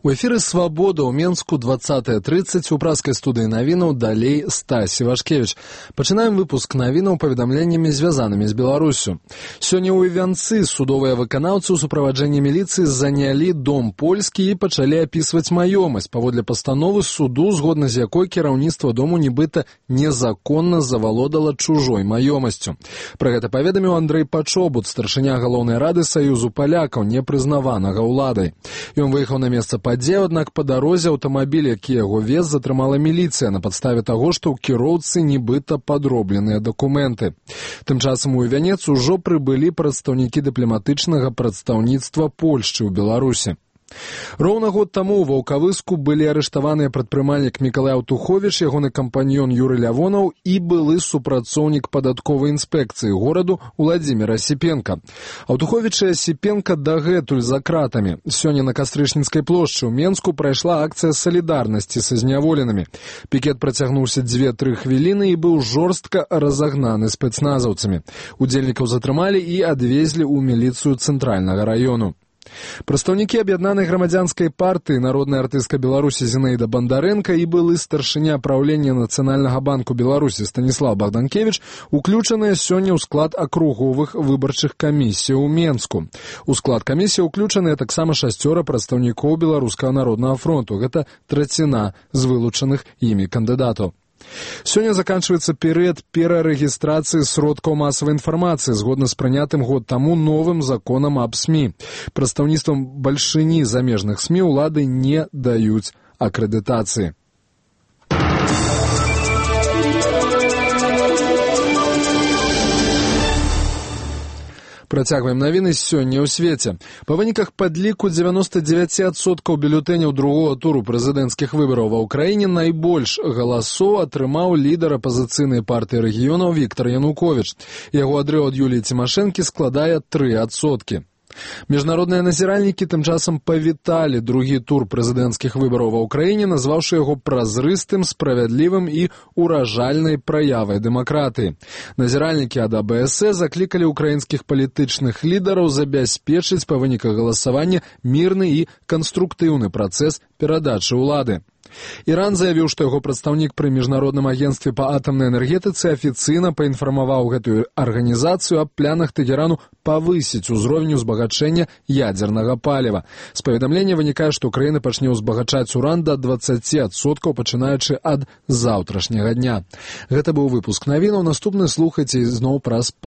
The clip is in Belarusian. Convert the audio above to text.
У эфіры «Свабода» ў Менску 20:30 у праскай студыі навінаў далей Стась Івашкевіч. Пачынаем выпуск навінаў паведамленнямі, звязанымі з Беларусю. Сёння ў Івянцы судовыя выканаўцы ў суправаджэнні міліцыі занялі дом польскі і пачалі апісваць маёмасць паводле пастановы суду, згодна з якой кіраўніцтва дому нібыта незаконна завалодала чужой маёмасцю. Пра гэта паведаміў Андрэй Пачобут, старшыня галоўнай рады Саюзу палякаў, непрызнаванага ўладай. Ён выехаў на месца падзею, аднак па дарозе аўтамабіль, які яго вез, затрымала міліцыя на падставе таго, што ў кіроўцы нібыта падробленыя дакументы. Тым часам у Івянец ужо прыбылі прадстаўнікі дыпламатычнага прадстаўніцтва Польшчы ў Беларусі. Роўна год таму ў Ваўкавыску былі арыштаваныя прадпрымальнік Мікалай Аўтуховіч, ягоны кампаньён Юрый Лявонаў і былы супрацоўнік падатковай інспекцыі гораду Уладзімір Асіпенка. Аўтуховіч і Асіпенка дагэтуль за кратамі. Сёння на Кастрычніцкай плошчы ў Менску прайшла акцыя салідарнасці са зняволенымі. Пікет працягнуўся 2-3 хвіліны і быў жорстка разагнаны спецназаўцамі. Удзельнікаў затрымалі і адвезлі ў міліцыю цэнтральнага раёну. Прадстаўнікі аб'яднанай грамадзянскай партыі, народная артыстка Беларусі Зінаіда Бандарэнка і былы старшыня праўлення Нацыянальнага банку Беларусі Станіслав Богданкевич уключаныя сёння ў склад акруговых выбарчых камісій у Менску. У склад камісіі уключаныя таксама 6 прадстаўнікоў Беларускага народнага фронту. Гэта траціна з вылучаных імі кандыдатаў. Сёння заканчивается перыяд перарэгістрацыі сродкаў масавай інфармацыі згодна з прынятым год таму новым законам аб СМІ. Прадстаўніцтвам бальшыні замежных СМІ ўлады не даюць акрэдытацыі. Працягваем навіны сёння ў свеце. Па выніках падліку 99% бюлетэняў другога туру прэзідэнцкіх выбараў ва ўкраіне найбольш галасоў атрымаў лідар апазіцыйнай партыі рэгіёнаў Віктор Януковіч. Яго адрыў ад Юліі Цімашэнкі складае 3%. Міжнародныя назіральнікі тым часам павіталі другі тур прэзідэнцкіх выбараў ва ўкраіне, назваўшы яго празрыстым, справядлівым і уражальнай праявай дэмакратыі. Назіральнікі ад АБС заклікалі ўкраінскіх палітычных лідараў забяспечыць па выніках галасавання мірны і канструктыўны працэс перадачы ўлады. Іран заявіў, што яго прадстаўнік пры міжнародным агенцтве па атамнай энергетыцы афіцыйна паінфармаваў гэтую арганізацыю аб планах Тэгерану павысіць узровень узбагачэння ядзернага паліва. З паведамлення вынікае, што Украіна пачне ўзбагачаць уран да 20%, пачынаючы ад заўтрашняга дня. Гэта быў выпуск навінаў. Наступны слухайце зноў праз